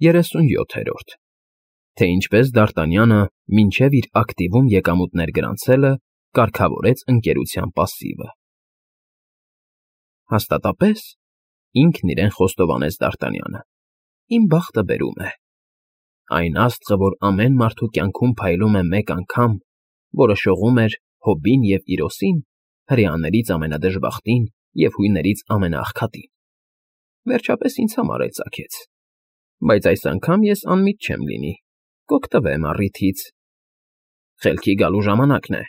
37-րդ Թե ինչպես Դ'Արտանյանը մինչև իր ակտիվում եկամուտներ գրանցելը կարգավորեց ընկերության պասիվը։ Հաստատապես, ինքն իրեն խոստովանեց Դ'Արտանյանը, իմ բախտը բերում է։ Այն աստղը, որ ամեն մարդու կյանքում փայլում է մեկ անգամ, որը շողում էր Հոբին և Իրոսին, հրեաներից ամենադժբախտին և հույներից ամենաաղքատին, վերջապես ինձ համար էլ ծագեց, բայց այս անգամ ես անմիտ չեմ լինի, կօգտվեմ առիթից։ Խելքի գալու ժամանակն է։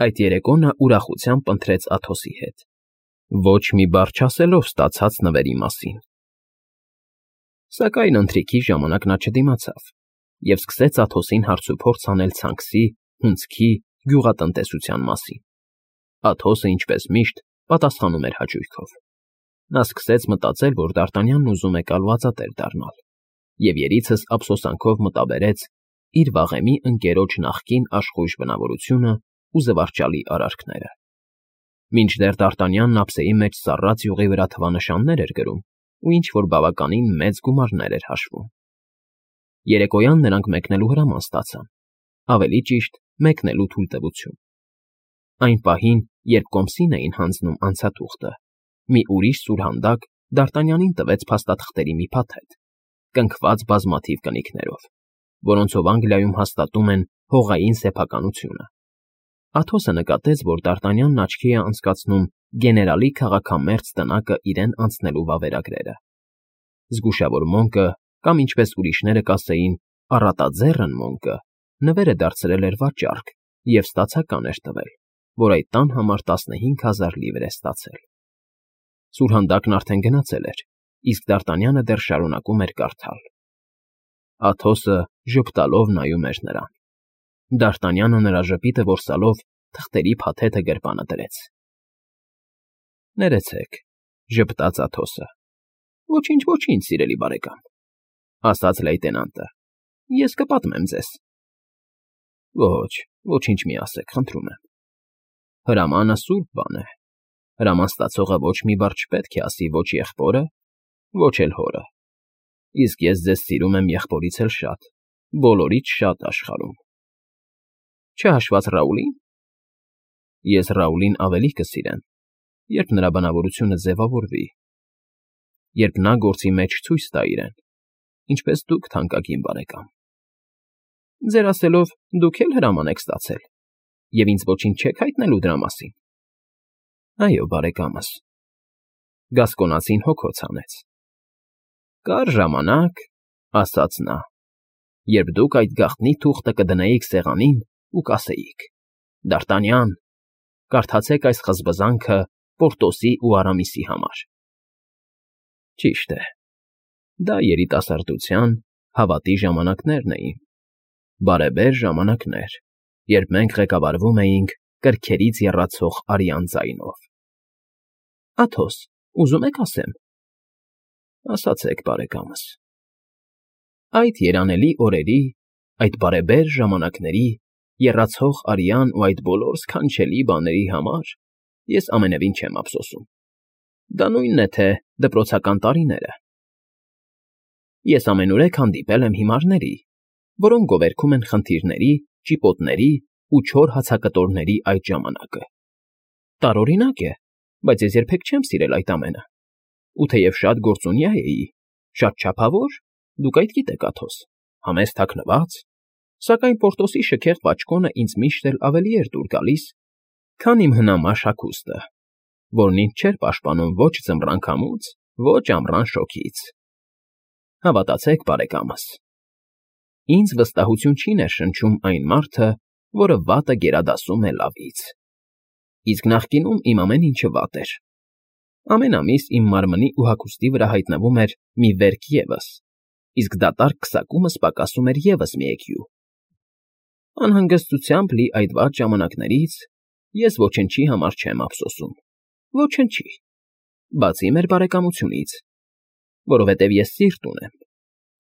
Այդ երեկո նա ուրախությամբ ընթրեց Աթոսի հետ, ոչ մի բառ չասելով ստացած նվերի մասին։ Սակայն ընթրիքի ժամանակ նա չդիմացավ և սկսեց Աթոսին հարցուփորձ անել ցանքսի, հունձքի, գյուղատնտեսության մասին։ Աթոսը, ինչպես միշտ, պատասխանում էր հաճույքով։ Նա սկսեց մտածել, որ Դ'Արտանյանն ուզում է կալվածատեր դառնալ, և երիցս ափսոսանքով մտաբերեց իր վաղեմի ընկերոջ նախկին աշխույժ բնավորությունը ու զվարճալի արարքները։ Մինչդեռ Դ'Արտանյանն ափսեի մեջ սառած յուղի վրա թվանշաններ էր գրում ու ինչ֊որ բավականին մեծ գումարներ էր հաշվում։ Երեկոյան նրանք մեկնելու հրաման ստացան, ավելի ճիշտ, մեկնելու թույլտվություն։ Այն պահին, երբ կոմսին էին հանձնում անցաթուղթը, մի ուրիշ սուրհանդակ Դ'Արտանյանին տվեց փաստաթղթերի մի փաթեթ, կնքված բազմաթիվ կնիքներով, որոնցով Անգլիայում հաստատում են հողային սեփականությունը։ Աթոսը նկատեց, որ Դ'Արտանյանն աչքի է անցկացնում գեներալի քաղաքամերձ տնակը իրեն անցնելու վավերագրերը։ Զգուշավոր Մոնկը, կամ ինչպես ուրիշները կասեին, առատաձեռն Մոնկը, նվերը դարձրել էր վաճառք և ստացական էր տվել, որ այդ տան համար 15,000 լիվր է ստացել։ Սուրհանդակն արդեն գնացել էր, իսկ Դ'Արտանյանը դեռ շարունակում էր կարդալ։ Աթոսը ժպտալով նայում էր նրան։ Դ'Արտանյանը նրա ժպիտը որսալով թղթերի փաթեթը գրպանը դրեց։ Ներեցեք, ժպտաց Աթոսը։ Ոչինչ, ոչինչ, սիրելի բարեկամ, ասաց լեյտենանտը, ես կպատմեմ ձեզ։ Ոչ, ոչինչ մի ասեք, խնդրում եմ։ Հրամանը սուրբ բան է։ Հրաման ստացողը ոչ մի բառ չպետք է ասի ոչ եղբորը, ոչ էլ հորը։ Իսկ ես ձեզ սիրում եմ եղբորից էլ շատ, բոլորից շատ աշխարհում։ Չհաշված Ռաուլին։ Ես Ռաուլին ավելի կսիրեմ, երբ նրա բնավորությունը ձևավորվի, երբ նա գործի մեջ ցույց տա իրեն, ինչպես դուք, թանկագին բարեկամ։ Ձեր ասելով, դուք էլ հրաման եք ստացել, և ինձ ոչինչ չեք հայտնելու դրա մասին։ Այո, բարեկամս։ Գասկոնացին հոգոց հանեց։ Կար ժամանակ, ասաց նա, երբ դուք այդ գաղտնի թուղթը կդնեիք սեղանին ու կասեիք. Դ'Արտանյան, կարդացեք այս խզբզանքը Պորտոսի ու Արամիսի համար։ Ճիշտ է, դա երիտասարդության, հավատի ժամանակներն էին, բարեբեր ժամանակներ, երբ մենք ղեկավարվում էինք կրքերից եռացող արյան ձայնով։ Աթոս, ուզում եք ասեմ։ Ասացեք, բարեկամս։ Այդ երանելի օրերի, այդ բարեբեր ժամանակների, եռացող արյան ու այդ բոլոր սքանչելի բաների համար ես ամենևին չեմ ափսոսում։ Դա նույնն է, թե դպրոցական տարիները։ Ես ամենուրեք հանդիպել եմ հիմարների, որոնք գովերգում են խնդիրների, ճիպոտների ու չոր հացակտորների այդ ժամանակը։ Տարօրինակ է, բայց ես երբեք չեմ սիրել այդ ամենը։ Ու թեև շատ գործունյա էի, շատ չափավոր, դուք այդ գիտեք, Աթոս, համեստ թաքնված, սակայն Պորտոսի շքեղ պաճկոնը ինձ միշտ էլ ավելի էր դուր գալիս, քան իմ հնամաշ հագուստը, որն ինձ չէր պաշտպանում ոչ ձմռան քամուց, ոչ ամռան շոգից։ Հավատացեք, բարեկամս, ինձ վստահություն չի ներշնչում այն մարդը, որը վատը գերադասում է լավից։ Իսկ նախկինում իմ ամեն ինչը վատ էր։ Ամեն ամիս իմ մարմնի ու հագուստի վրա հայտնվում էր մի վերք ևս, իսկ դատարկ քսակումս պակասում էր ևս մի էգյու։ Անհանգստությամբ լի այդ վատ ժամանակներից ես ոչնչի համար չեմ ափսոսում, ոչնչի, բացի մեր բարեկամությունից, որովհետև ես սիրտ ունեմ,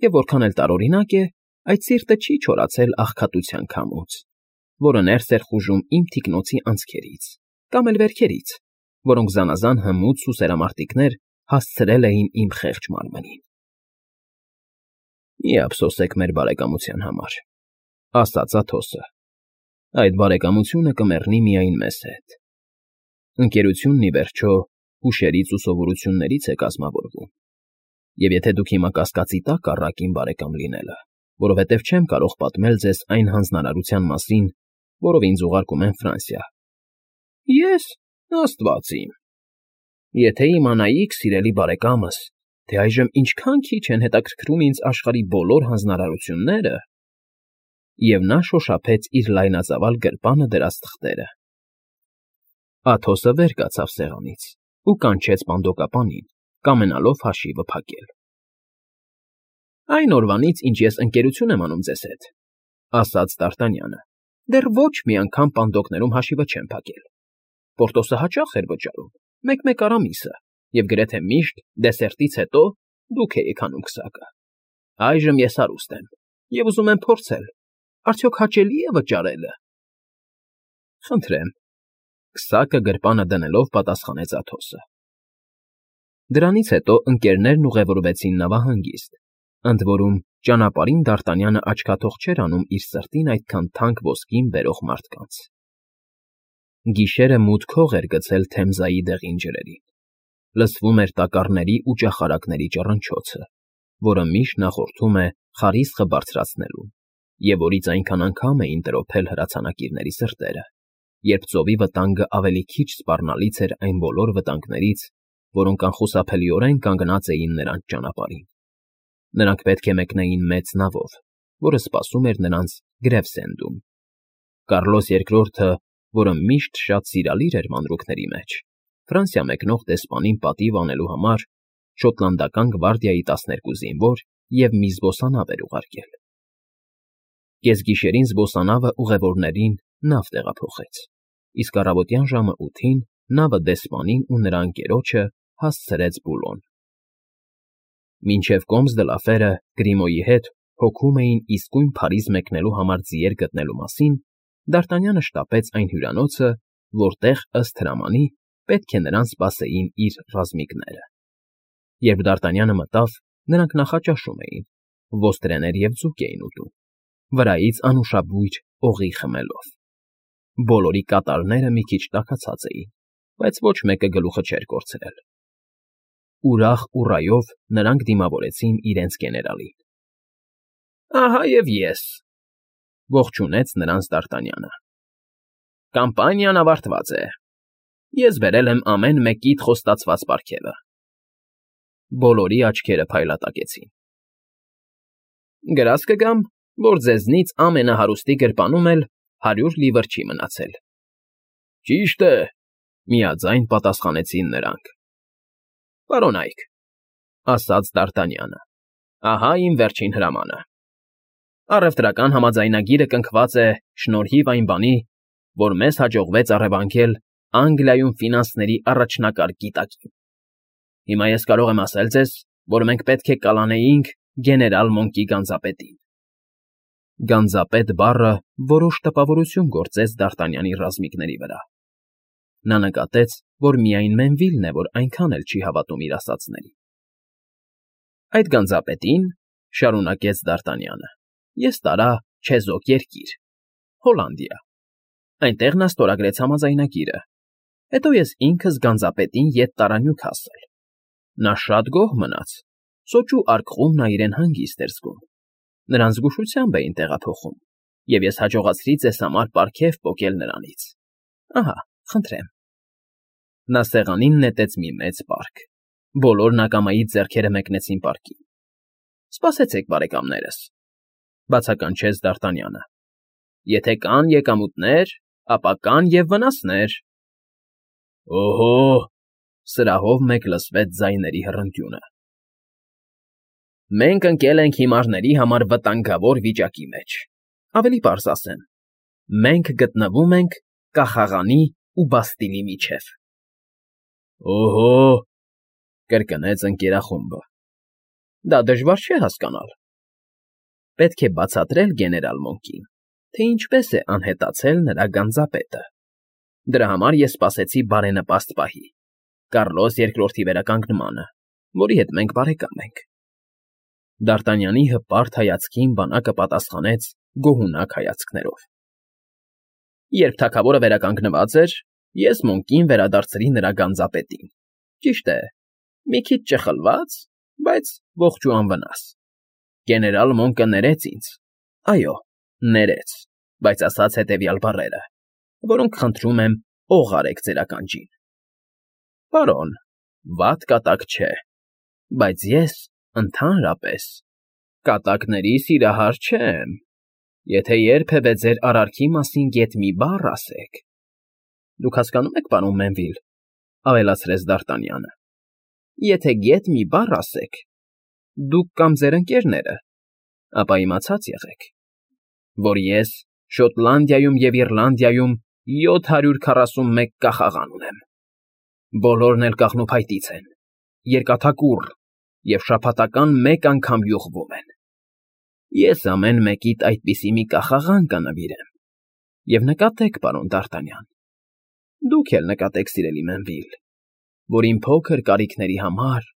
և որքան էլ տարօրինակ է, այդ սիրտը չի չորացել աղքատության քամուց, որը ներս էր խուժում իմ թիկնոցի անցքերից, կամ էլ վերքերից, որոնք զանազան հմուտ սուսերամարտիկներ հասցրել էին իմ խեղճ մարմնին։ Մի ափսոսեք մեր բարեկամության համար, ասաց Աթոսը։ Այդ բարեկամությունը կմեռնի միայն մեզ հետ։ Ընկերությունն, ի վերջո, հուշերից ու սովորություններից է կազմավորվում։ Եվ եթե դուք հիմա կասկածի տակ առաք իմ բարեկամ լինելը, որովհետև չեմ կարող պատմել ձեզ այն հանձնարարության մասին, որով ինձ ուղարկում են Ֆրանսիա։ Ես, Աստված իմ, եթե իմանայիք, սիրելի բարեկամս, թե այժմ ինչքան քիչ են հետաքրքրում ինձ աշխարհի բոլոր հանձնարարությունները, և նա շոշափեց իր լայնածավալ գրպանը դրած թղթերը։ Աթոսը վեր կացավ սեղանից ու կանչեց պանդոկապանին, կամենալով հաշիվը փակել։ Այն օրվանից, ինչ ես ընկերություն եմ անում ձեզ հետ, ասաց Դ'Արտանյանը, դեռ ոչ մի անգամ պանդոկներում հաշիվը չեմ փակել։ Պորտոսը հաճախ էր վճարում, մեկ-մեկ առամիսը, և գրեթե միշտ դեսերտից հետո դուք էիք անում քսակը։ Այժմ ես հարուստ եմ և ուզում եմ փորձել, արդյոք հաճելի է վճարելը։ Խնդրեմ, քսակը գրպանը դնելով պատասխանեց Աթոսը։ Դրանից հետո ընկերներն ուղևորվեցին նավահանգիստ, ընդ որում ճանապարհին Դ'Արտանյանը աչքաթող չէր անում իր սրտին այդքան թանկ ոսկին բերող մարդկանց։ Գիշերը մութ քող էր գցել Թեմզայի դեղին ջրերին։ Լսվում էր տակառների ու ճախարակների ճռնչոցը, որը միշտ նախորդում է խարիսխը բարձրացնելուն, և որից այնքան անգամ էին տրոփել հրացանակիրների սրտերը, երբ ծովի վտանգը ավելի քիչ սպառնալից էր այն բոլոր վտանգներից, որոնք անխուսափելիորեն կանգնած էին նրանց ճանապարհին։ Նրանք պետք է մեկնեին մեծ նավով, որը սպասում էր նրանց Գրևսենդում։ Կարլոս II-ը, որը միշտ շատ սիրալիր էր մանրուքների մեջ, Ֆրանսիա մեկնող դեսպանին պատիվ անելու համար շոտլանդական գվարդիայի 12 զինվոր և մի զբոսանավ էր ուղարկել։ Կեսգիշերին զբոսանավը ուղևորներին նավ տեղափոխեց, իսկ առավոտյան ժամը 8-ին նավը դեսպանին ու նրա ընկերոջը հասցրեց Բուլոն։ Մինչև Կոմս դը Լաֆերը Գրիմոյի հետ հոգում էին իսկույն Փարիզ մեկնելու համար ձիեր գտնելու մասին, Դ'Արտանյանը շտապեց այն հյուրանոցը, որտեղ, ըստ հրամանի, պետք է նրան սպասեին իր ռազմիկները։ Երբ Դ'Արտանյանը մտավ, նրանք նախաճաշում էին, ոստրեներ և ձուկ էին ուտում, վրայից անուշաբույր օղի խմելով։ Բոլորի կատարները մի քիչ տաքացած էին, բայց ոչ մեկը գլուխը չէր կորցրել։ Ուրախ ուռայով նրանք դիմավորեցին իրենց գեներալին։ Ահա և ես, ողջունեց նրանց Դ'Արտանյանը։ Կամպանիան ավարտված է։ Ես բերել եմ ամեն մեկիդ խոստացված պարգևը։ Բոլորի աչքերը փայլատակեցին։ Գրազ կգամ, որ ձեզնից ամենահարուստի գրպանում էլ 100 լիվր չի մնացել։ Ճիշտ է, միաձայն պատասխանեցին նրանք։ Պարոնայք, ասաց Դ'Արտանյանը, ահա իմ վերջին հրամանը։ Առևտրական համաձայնագիրը կնքված է շնորհիվ այն բանի, որ մեզ հաջողվեց առևանգել Անգլիայում ֆինանսների առաջնակարգ գիտակին։ Հիմա ես կարող եմ ասել ձեզ, որ մենք պետք է կլանեինք գեներալ Մոնկի գանձապետին։ Գանձապետ բառը որոշ տպավորություն գործեց Դ'Արտանյանի ռազմիկների վրա։ Նա նկատեց, որ միայն Մենվիլն է, որ այնքան էլ չի հավատում իր ասածներին։ Այդ գանձապետին, շարունակեց Դ'Արտանյանը, ես տարա Չեզոք երկիր, Հոլանդիա։ Այնտեղ նա ստորագրեց համաձայնագիրը։ Հետո ես ինքս գանձապետին ետ տարա Նյուքասլ։ Նա շատ գոհ մնաց, սոճու արկղում նա իրեն հանգիստ էր զգում։ Նրան զգուշությամբ էին տեղափոխում, և ես հաջողացրի ձեզ համար պարգև պոկել նրանից։ Ահա, խնդրեմ։ Նա սեղանին նետեց մի մեծ պարկ։ Բոլորն ակամայից ձեռքերը մեկնեցին պարկին։ Սպասեցեք, բարեկամներս, բացականչեց Դ'Արտանյանը։ Եթե կան եկամուտներ, ապա կան և վնասներ։ Օհո, սրահով մեկ լսվեց ձայների հռնկյունը։ Մենք ընկել ենք հիմարների համար վտանգավոր վիճակի մեջ, ավելի պարզ ասեմ, մենք գտնվում ենք Կախաղանի ու Բաստիլի միջև։ Օհո, կրկնեց ընկերախումբը։ Դա դժվար չէ հասկանալ։ Պետք է բացատրել գեներալ Մոնկին, թե ինչպես է անհետացել նրա գանձապետը։ Դրա համար ես սպասեցի բարենպաստ պահի, Կարլոս II-ի վերականգնմանը, որի հետ մենք բարեկամ ենք։ Դարտանյանի հպարտ հայացքին բանակը պատասխանեց գոհունակ հայացքներով։ Երբ թագավորը վերականգնված էր, ես Մոնկին վերադարձրի նրա գանձապետին։ Ճիշտ է, մի քիչ ճխլված, բայց ողջ ու անվնաս։ Գեներալ Մոնկը ներեց ինձ, այո, ներեց, բայց ասաց հետևյալ բառերը, որոնք խնդրում եմ օղ արեք ձեր ականջին. Պարոն, վատ կատակ չէ, բայց ես ընդհանրապես կատակների սիրահար չեմ, եթե երբևէ ձեր արարքի մասին գեթ մի բառ ասեք։ Դուք հասկանո՞ւմ եք, պարոն Մենվիլ, ավելացրեց Դարտանյանը, եթե գեթ մի բառ ասեք, դուք կամ ձեր ընկերները, ապա իմացած եղեք, որ ես Շոտլանդիայում և Իռլանդիայում 741 կախաղան ունեմ, բոլորն էլ կաղնուփայտից են, երկաթակուռ և շաբաթական մեկ անգամ յուղվում են։ Ես ամեն մեկիդ այդպիսի մի կախաղան կնվիրեմ, և նկատեք, պարոն Դարտանյան, դուք էլ նկատեք, սիրելի Մենվիլ, որ իմ փոքր կարիքների համար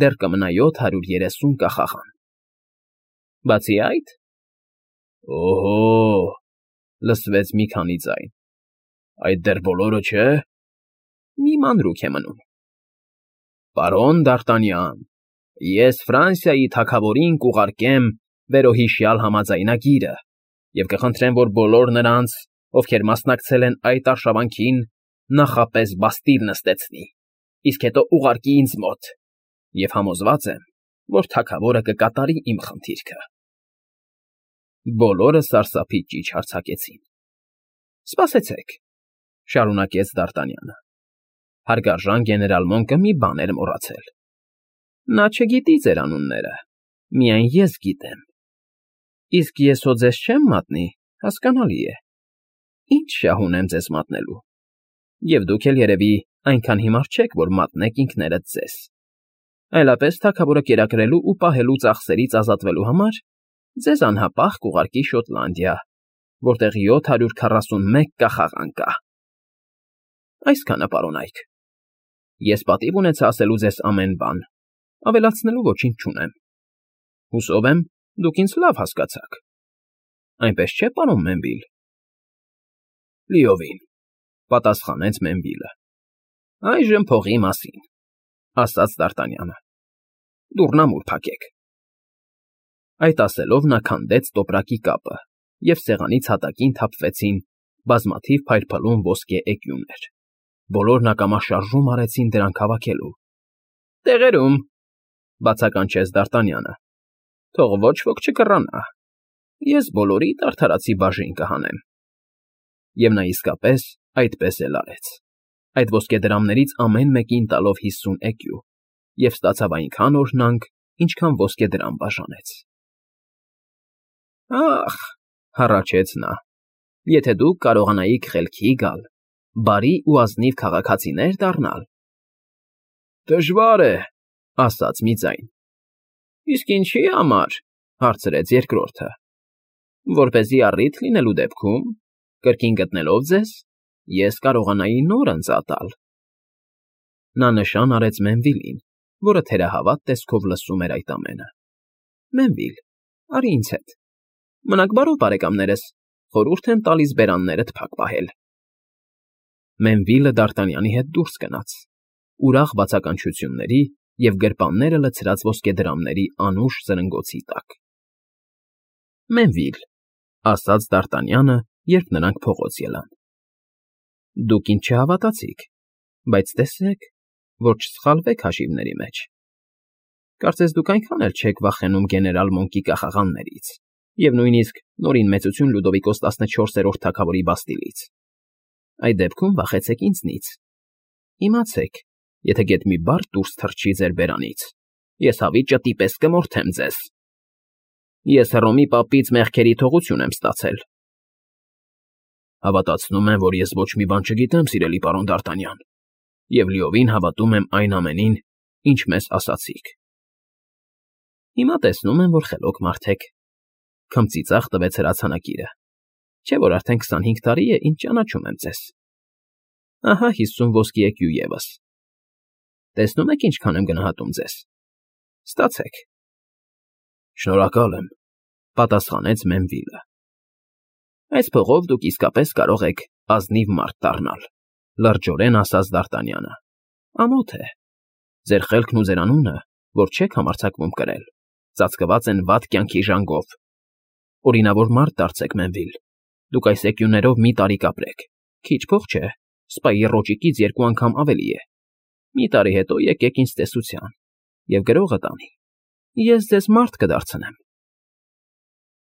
դեռ կմնա 730 կախաղան։ Բացի այդ… Օհո՜, լսվեց մի քանի ձայն, այդ դեռ բոլորը չէ… Մի մանրուք է մնում։ Պարոն Դարտանյան, ես Ֆրանսիայի թագավորին կուղարկեմ վերոհիշյալ համաձայնագիրը և կխնդրեմ, որ բոլոր նրանց, ովքեր մասնակցել են այդ արշավանքին, նախապես բաստիլ նստեցնի, իսկ հետո ուղարկի ինձ մոտ, և համոզված եմ, որ թագավորը կկատարի իմ խնդիրքը։ Բոլորը սարսափից ճիչ հարձակեցին։ Սպասեցեք, շարունակեց Դարտանյանը, հարգարժան գեներալ Մոնկը մի բան էր մոռացել։ Նա չգիտի ձեր անունները, միայն ես գիտեմ։ Իսկ ես հո ձեզ չեմ մատնի, հասկանալի է։ Ինչ շահ ունեմ ձեզ մատնելու։ Եվ դուք էլ երևի այնքան հիմար չեք, որ մատնեք ինքներդ ձեզ։ Այլապես թագավորը կերակրելու ու պահելու ծախսերից ազատվելու համար ձեզ անհապաղ կուղարկի Շոտլանդիա, որտեղ 741 կախաղան կա։ Այսքանը, պարոնայք։ Ես պատիվ ունեցա ասելու ձեզ ամեն բան, ավելացնելու ոչինչ չունեմ։ Հուսով եմ, դուք ինձ լավ հասկացաք։ Այնպես չէ, պարոն Մենվիլ։ Լիովին, պատասխանեց Մենվիլը։ Այժմ փողի մասին, ասաց Դարտանյանը։ Դուռնամուր փակեք։ Այդ ասելով նա քանդեց տոպրակի կապը, և սեղանից հատակին թափվեցին բազմաթիվ փայլփլուն ոսկե էկյուներ։ Բոլորն ակամաշարժում արեցին դրանք հավաքելու։ Տեղերում, բացականչեց Դարտանյանը, թող ոչ ոք չկռանա։ Ես բոլորիդ արդարացի բաժին կհանեմ։ Եվ նա իսկապես այդպես էլ արեց, այդ ոսկեդրամներից ամեն մեկին տալով 50 էկյու, և ստացավ այնքան օրհնանք, ինչքան ոսկեդրամ բաժանեց։ Ախ, հառաչեց նա, եթե դուք կարողանայիք խելքի գալ, բարի ու ազնիվ քաղաքացիներ դառնալ։ Դժվար է, ասաց մի ձայն։ Իսկ ինչի համար, հարցրեց երկրորդը։ Որպեսզի առիթ լինելու դեպքում, կրկին գտնելով ձեզ, ես կարողանայի նոր ընծատալ։ Նա նշան արեց Մենվիլին, որը թերահավատ տեսքով լսում էր այդ ամենը։ Մենվիլ, արի ինձ հետ։ Մնաք բարով, բարեկամներս, խորհուրդ եմ տալիս բերաններդ փակ պահել։ Մենվիլը Դարտանյանի հետ դուրս գնաց, ուրախ բացականչությունների և գրպանները լցրած ոսկեդրամների անուշ զրնգոցի տակ։ Մենվիլ, ասաց Դարտանյանը, երբ նրանք փողոց ելան։ Դուք ինձ չհավատացիք, բայց տեսեք, որ չսխալվեք հաշիվների մեջ։ Կարծես դուք այնքան էլ չեք վախենում գեներալ Մոնկի կախաղաններից և նույնիսկ նորին մեծություն Լյուդովիկոս 14-րդ թագավորի բաստիլից։ Այդ դեպքում վախեցեք ինձնից։ Իմացեք, եթե գեթ մի բառ դուրս թռչի ձեր բերանից, ես հավիճը տիպես կմորթեմ ձեզ։ Ես Հռոմի պապից մեղքերի թողություն եմ ստացել։ Հավատացնում եմ, որ ես ոչ մի բան չգիտեմ, սիրելի պարոն Դարտանյան, և լիովին հավատում եմ այն ամենին, ինչ մեզ ասացիք։ Հիմա տեսնում եմ, որ խելոք մարդ եք, քմծիծաղ տվեց հրացանակիրը, չէ՞ որ արդեն 25 տարի է, ինչ ճանաչում եմ ձեզ։ Ահա 50 ոսկի էկյու ևս։ Տեսնում եք ինչքան եմ գնահատում ձեզ։ Ստացեք։ Շնորհակալ եմ, պատասխանեց Մենվիլը։ Այս փողով դուք իսկապես կարող եք ազնիվ մարդ դառնալ, լրջորեն ասաց Դ'Արտանյանը։ Ամոթ է։ Ձեր խելքն ու ձեր անունը, որ չեք համարձակվում կրել, ծածկված են վատ կյանքի ժանգով։ Օրինավոր մարդ դարձեք, Մենվիլ։ Դուք այս էկյուներով մի տարի կապրեք։ Քիչ փող չէ, սպայի ռոճիկից 2 անգամ ավելի է։ Մի տարի հետո եկեք ինձ տեսության, և գրողը տանի։ Ես ձեզ մարդ կդարձնեմ։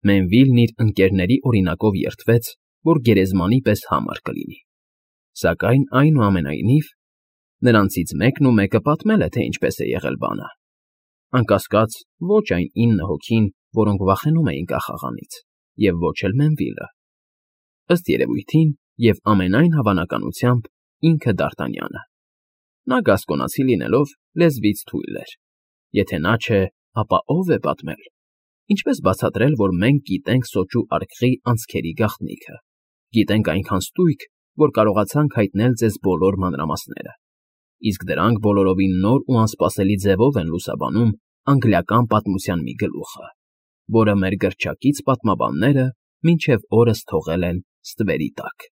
Մենվիլն իր ընկերների օրինակով երդվեց, որ գերեզմանի պես համր կլինի։ Սակայն, այնուամենայնիվ, նրանցից մեկն ու մեկը պատմել է, թե ինչպես է եղել բանը։ Անկասկած, ոչ այն 9 հոգին, որոնք վախենում էին կախաղանից, և ոչ էլ Մենվիլը։ Ըստ երևույթին և ամենայն հավանականությամբ ինքը Դ'Արտանյանը։ Նա գասկոնացի լինելով, լեզվից թույլ էր։ Եթե նա չէ, ապա ո՞վ է պատմել։ Ինչպես բացատրել, որ մենք գիտենք սոճու արկղի անցքերի գաղտնիքը։ Գիտենք այնքան ստույգ, որ կարողացանք հայտնել ձեզ բոլոր մանրամասները։ Իսկ դրանք բոլորովին նոր ու անսպասելի ձևով են լուսաբանում անգլիական պատմության մի գլուխը, որը մեր գրչակից պատմաբանները մինչև օրս թողել են ստվերի տակ։